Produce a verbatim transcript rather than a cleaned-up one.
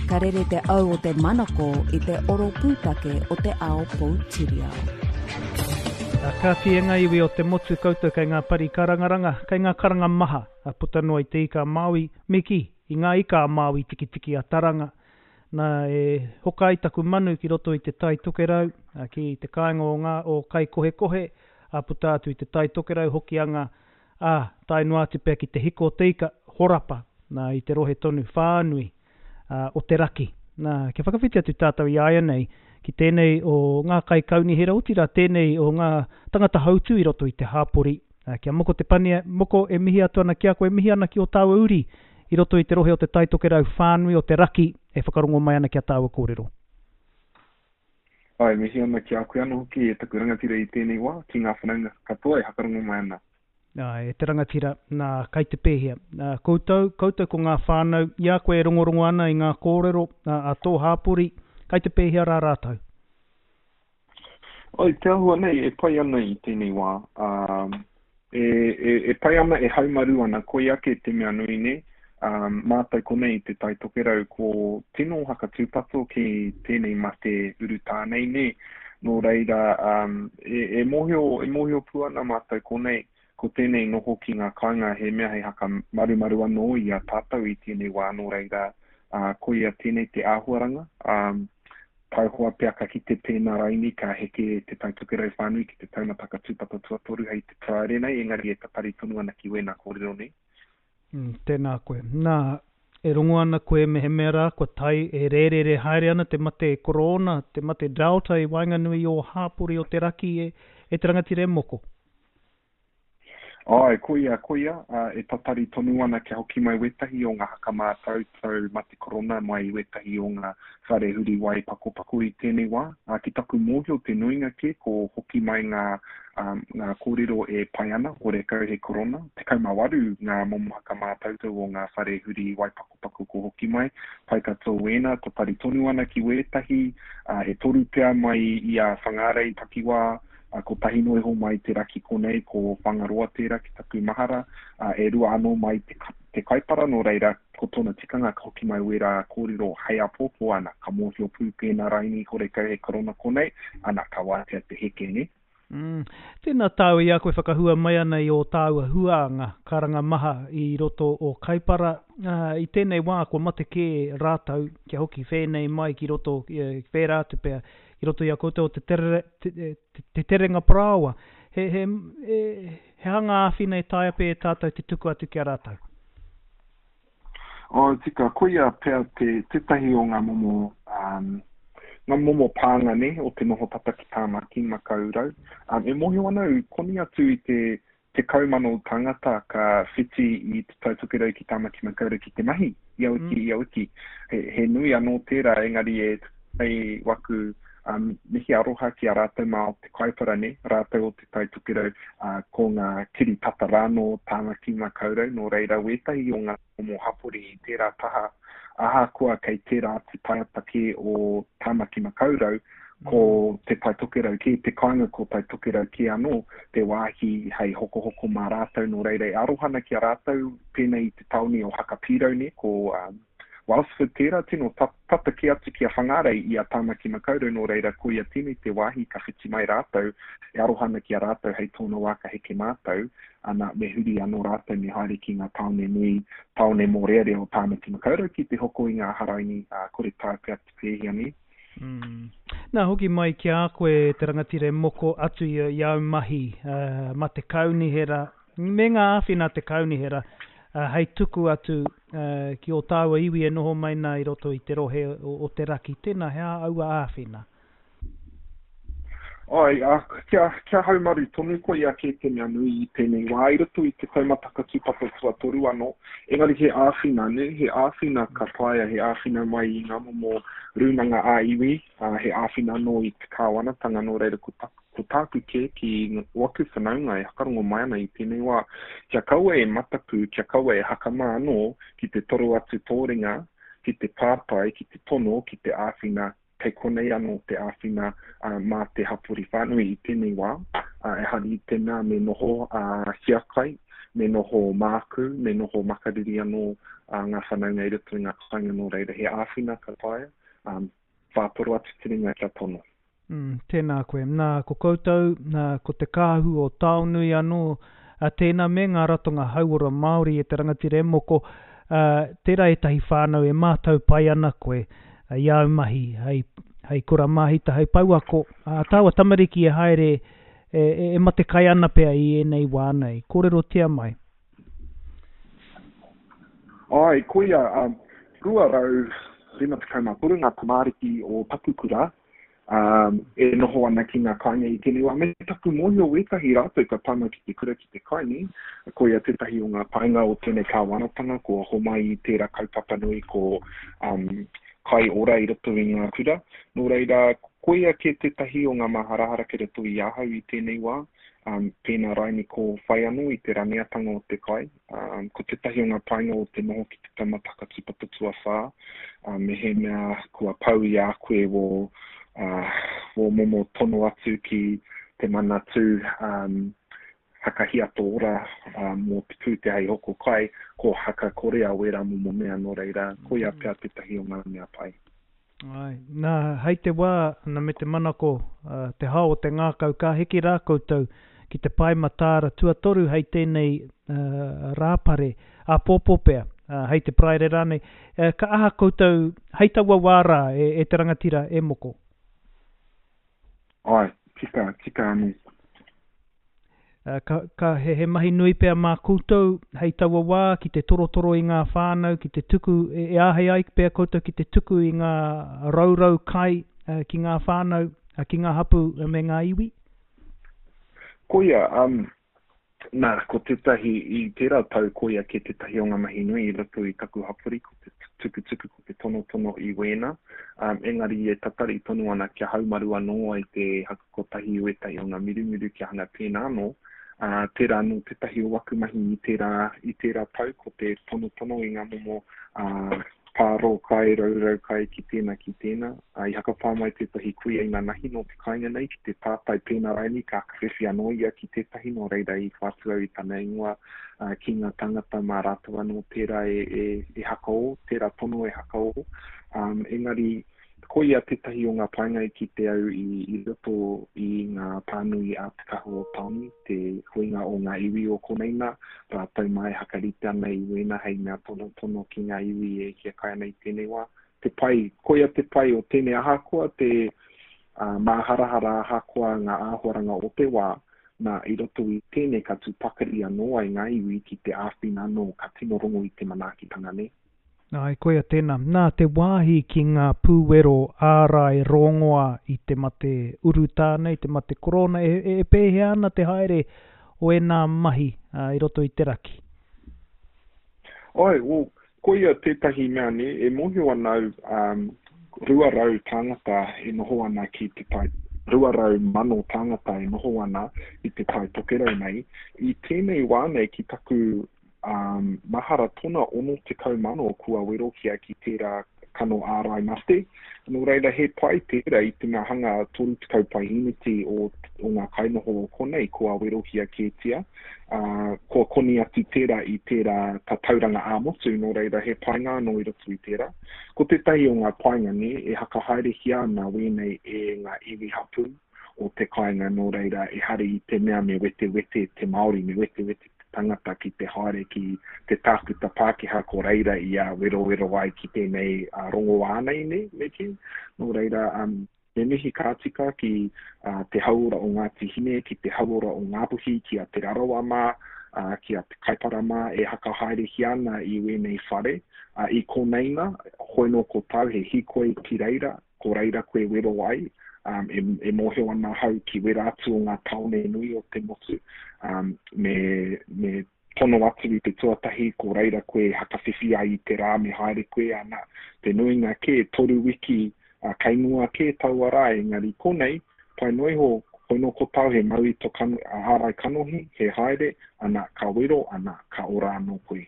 Ka rere te au o te manako i te oro pūtake o te ao poutiriao. Ka e ngā iwi o te motu koutou kei ngā pari karangaranga, kei ngā karanga maha, a puta noa i te ika a Māui, me kī, i ngā ika a Māui tikitiki a Taranga. Nā, e hoka ai taku manu ki roto i te Tai Tokerau, ki te kāinga o ngā o Kaikohekohe, a puta atu i te Tai Tokerau, Hokianga, ā, tae noa atu pea ki te hiko o te ika, horapa, nā, i te rohe tonu whānui uh, o te raki. Nā, kia whakawhiti atu tātou i āianei ki tēnei o ngā kaikaunihera, otirā tēnei o ngā tangata hautū i roto i te hāpori. Uh, kia Moko Te Pania, Moko, e mihi atu ana ki a koe, e mihi ana ki o tāua uri i roto i te rohe o te Tai Tokerau whānui o te raki e whakarongo mai ana ki a tāua kōrero. Ai, mihi ana ki a koe anō hoki e taku rangatira i tēnei wā, ki ngā whanaunga katoa e whakarongo mai ana. Ai, e te rangatira, nā, kai te pēhea. Nā, koutou, koutou ko ngā whānau, i a koe e rongorongo ana i ngā kōrero a, a tō hāpori, kai te pēhea rā rātou? Ai, te ahua nei, e pai ana i tēnei wā. Um, e, e, e pai ana, e haumaru ana, koi ake te mea nui nei. Um, mātou konei te Tai Tokerau ko tino hakatūpato ki tēnei mate urutā nei nē. Nō reira, um, e, e mōhio, e mōhio pū ana mātou konei, ko tēnei noho ki ngā kāinga he mea hei haka marumaru anō i a tātou i tēnei wā, nō reira, uh, koia tēnei te āhuaranga. Um, taihoa pea ka kite pēnā raini ka heke te Tai Tokerau whānui ki te taumata tūpato tuatoru hei te Paraire nei, engari e tatari tonu ana ki wēnā kōrero nei. Mm, tēnā koe. Nā, e rongo ana koe mehemea rā, kua tae e rērere haere ana te mate korona, te mate Delta i waenganui o hāpori o te raki e, e te rangatira e Moko. Ai, koia, koia, uh, e tatari tonu ana kia hoki mai wētahi o ngā hakamātautau mate korona mai i wētahi o ngā whare huri wai pakopako i tēnei wā. Uh, ki taku mōhio te nuinga kē, ko hoki mai ngā, um, ngā kōrero e pai ana, horekau he korona. Tekau mā waru ngā momo hakamātautau o ngā whare huri wai pakopako ko hoki mai. Pai katoa wēnā, tatari tonu ana ki wētahi, uh, e toru pea mai i a Whangārei takiwā, Uh, ko tahi noa iho mai te raki konei, ko Whangaroa tērā ki taku mahara, uh, e rua anō mai te, te Kaipara, nō reira, ko tōna tikanga ka hoki mai wērā kōrero hei apōpō, ana, ka mōhio pū pēnā raini horekau he korona konei, ana, ka wātea te heke, ne? Mm. Tēnā tāua i a koe whakahua mai ana i ō tāua huānga, karanga maha i roto o Kaipara. Uh, i tēnei wā kua mate kē rātou kia hoki whēnei mai ki roto, whērā atu pea, i roto i a koutou o te, terere, te, te, te terenga parāoa. He, he, he, he hanga āwhina e taea pea e tātou te tuku atu ki a rātou? O, tika, koia pea te, tētahi o ngā momo, um, ngā momo pānga ne, o te noho tata ki Tāmaki Makaurau. Um, e mōhio ana au, koni atu i te tekau mano tangata ka whiti i te Tai Tokerau ki Tāmaki Makaurau ki te mahi, ia wiki, mm. ia wiki. He, he nui anō tērā, engari e hei waku um, mihi aroha ki a rātou mā o te Kaipara, ne, rātou o te Tai Tokerau, uh, ko ngā kiri tata rānō Tāmaki Makaurau, nō reira wētahi o ngā momo hapori i tērā taha, ahakoa kei tērā atu taiapa kē o Tāmaki Makaurau, ko te Tai Tokerau kē, te kāinga ko Tai Tokerau kē anō, te wāhi hei hokohoko mā rātou, nō reira e arohana ki a rātou, pēnei i te taone o Hakapirau, ne, ko um, Wellsford tērā, tino tata kē atu ki a Whangārei i a Tāmaki Makaurau, nō reira koia tēnei te wāhi ka whiti mai rātou, e arohana ki a rātou hei tōna wā ka heke mātou, ana me huri anō rātou me haere ki ngā tāone nui, tāone mōrearea o Tāmaki Makaurau ki te hoko i ngā haraini, uh, kore taea pea te pēhea nei. Mm. Nā, hoki mai ki a koe te rangatira e Moko atu i, i au mahi uh, ma te kaunihera, me ngā āwhina te kaunihera, uh, hei tuku atu uh, ki o tāua iwi e noho mai nā i roto i te rohe o, o te raki. Tēnā, he aha aua āwhina? Ai, uh, kia, kia haumaru tonu koia kē te mea nui i tēnei wā, i roto i te taumata tūpato tuatoru anō, engari he āwhina, ne? He āwhina ka taea, he āwhina mai i ngā momo rūnanga ā-iwi, uh, he āwhina anō i te kāwanatanga, nō reira ko taku ko tāku kē ki waku whanaunga e hakarongo mai ana i tēnei wā, kia kaua e mataku, kia kaua e hakama anō ki te toro atu tō ringa, ki te pātai, ki te tono, ki te āwhina, kei konei anō te āwhina uh, mā te hapori whānui i tēnei wā. Uh, e hari i te mea me noho uh, hiakai, me noho māku, me noho makariri anō uh, ngā whanaunga i roto i ngā kāinga, nō reira he āwhina ka taea, um, whātoro atu te ringa kia tono. Mm, tēnā koe. Nā, ko koutou, nā, ko te kāhu o Taonui anō, a tēnā me ngā ratonga hauora Māori e te rangatira e moko, uh, tērā ētahi whānau e mātau pai ana koe uh, i āu mahi, hei, hei kura māhita, hei pouako. Uh, tāua tamariki e haere e, e, e mate kai ana pea i ēnei wā nei. Kōrerotia mai. Ai, koia, um, rua rau rima tekau mā toru ngā tamariki o taku kura, um, e noho ana ki ngā kāinga i tēnei wā. Me taku mōhio wētahi rātou ka tae mai ki te kura ki te kai, nē. Koia tētahi o ngā painga o tēnei kāwanatanga, kua homai i tērā kaupapa nui ko um, kai ora i roto i ngā kura. Nō reira, koia kē tētahi o ngā maharahara ki roto i ahau i tēnei wā, um, pēnā raini ko whai anō i te raneatanga o te kai. Um, ko tētahi o ngā painga o te noho ki te taumata whakatūpato tuawhā, um, me he mea kua pau i a koe wō, uh, wō momo tono atu ki te manatū um, hakahiato ora uh, mō te pūtea hei hoko kai, ko hakakorea wērā momo mea, nō reira, koia pea tētahi o ngā mea pai. Ai, nā, hei te wā, nā me te manako, uh, te hao o te ngākau, ka heke rā koutou ki te pae mataara tuatoru hei tēnei uh, rāpare, āpōpō pea, uh, hei te Paraire rānei. Uh, ka aha koutou, hei taua wā rā e, e te rangatira e moko? Ai, tika, tika anō. Uh, ka, ka he, he mahi nui pea mā koutou hei taua wā ki te torotoro i ngā whānau, ki te tuku, e, e āhei ai pea koutou ki te tuku i ngā raurau kai uh, ki ngā whānau, uh, ki ngā hapu me ngā iwi? Koia, um, nā, ko tētahi, i tērā tau koia ke tētahi o ngā mahi nui i roto i taku hapori, ko te tukutuku, ko te tonotono i wēnā. Um, engari e tatari tonu ana kia haumaru anō ai te hakakotahi i wētahi o ngā mirumiru kia hanga pēnā anō. Uh, tērā anō tētahi o waku mahi i tērā, i tērā tau, ko te tonotono i ngā momo uh, pārō kai, raurau kai ki tēnā, ki tēnā. Uh, i hakapā mai tētahi kuia i nanahi nō te kāinga nei, ki te tātai pēnā raini, ka whawhiwhi anō ia ki tētahi, nō reira i whātu au i tana ingoa uh, ki ngā tangata mā rātou anō tērā e, e, e hakaō, tērā tono e hakaō. Um, engari, koia tētahi o ngā painga i kite au i, i roto i ngā pānui a Te Kahu o Taonui, te huinga o ngā iwi o konei nā, rātou mai hakarite ana i wēnā hei mea tonotono ki ngā iwi e hiakai ana i tēnei wā. Te pai, koia te pai o tēnei ahakoa te uh, māharahara ahakoa ngā āhuaranga o te wā, nā i roto i tēnei ka tū pakari anō ai ngā iwi ki te āwhina anō, ka tino rongo i te manaakitanga nei. Ai, koia tēnā. Nā, te wāhi ki ngā pūwero ārai rongoa i te mate urutā nei, te mate korona, e, e, e pēhea ana te haere o ēnā mahi uh, i roto i te raki? Ai, well, koia tētahi mea ne, e mōhio ana au um, rua rau tāngata e noho ana ki te tai, rua rau mano tāngata e noho ana i te tai tokerau nei. I tēnei wā nei ki taku um, mahara tona ono tekau mano kua werohia ki tērā kano ārai mate. Nō reira he pai tērā i te mea hanga toru tekau pahineti o, o ngā kainoho o konei kua werohia kētia. Uh, kua koni atu tērā i tērā tatauranga ā-motu, nō reira he painga anō i roto i tērā. Ko tētahi o ngā painga ne, e hakahaerehia ana wēnei e ngā iwi hapū o te kāinga, nō reira e hari i te mea me wetewete te Māori, me wetewete te tangata ki te haere ki te tākuta Pākehā ko reira i a werowero ai ki tēnei uh, rongoā nei, ne, me kī. Nō reira, um, me mihi ka tika ki uh, te hauora o Ngāti Hine, ki te hauora o Ngāpuhi, ki a Te Rarawa mā, uh, ki a Te Kaipara mā e hakahaerehia ana i wēnei whare. Uh, i koneina, hoi nō ko tau he hikoi ki reira, ko reira koe wero ai, um, e, e mōhio ana hau ki wera atu o ngā taone nui o te motu, um, me, me tono atu i te tuatahi, ko reira koe hakawhiwhi ai i te rā me haere koe ana. Te nuinga kē, toru wiki, uh, kei mua kē taua rā, engari konei, pai noa iho, hoi nō ko tau he mau i to kano, ārai kanohi, he haere, ana ka wero, ana ka ora anō koe.